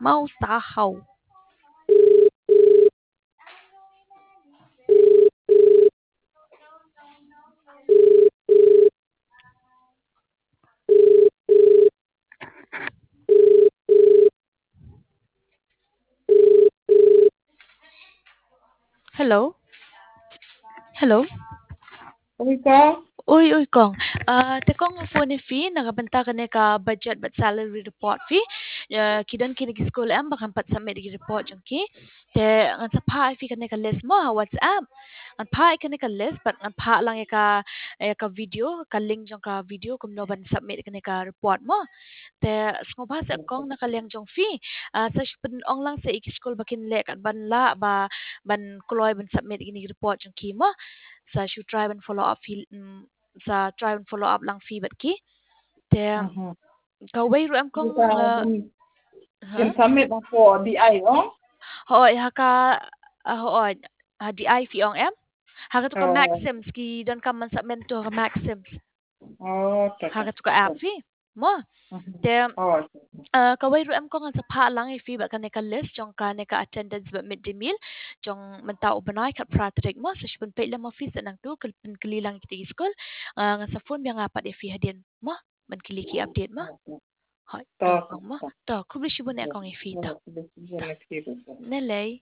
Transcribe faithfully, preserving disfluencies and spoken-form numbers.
Mau sa hau. Hello. Hello. Oi kong. Oi, oi kong. Ah, te kong nga phone ïa phi na ka bynta kane ka budget bad salary report phi. Ah, ki don kine ki skul em ba kan pat submit ki report jong ki. Te ngan sa phah ïa phi kane ka list mo ha WhatsApp. Ngan phah ïa kane ka list bad ngan phah lang ïa ka, ïa ka video, ka link jong ka video kumno ban submit kane ka report mo. Te sngewbha sa kong na ka liang jong phi. Ah, sa shu pyn-ong lang sa ïa ki skul ba kin leh kat ban lah ba ban kloi ban submit kine ki report jong ki mo. Sa shu try ban follow up phi, mm, sa try ban follow up lang phi bad ki. Te kawei ruh em kong, ah, kin submit na ko D I ong? Hooid, ha ka, ah, hooid, ha D I phi ong em? Ha ka tu ka Maxims, ki don kam ban submit tu ha ka Maxims. Ha ka tu ka app phi. Mo. Te, ah, kawei ruh em kong ngan sa phah lang ïa phi bad kane ka list jong kane ka attendance bad midday meal jong mynta u bnai khatphra tarik mo, sa shu pynpeit lem office nangtu, pynkylli lang ïa kita ki skul. Ah, ngan sa phone biang pat ïa phi hadien mo. Ban kylli ki update mo. Hooid, to kong mo. To, khublei shibun eh kong ïa phi to. Nalei.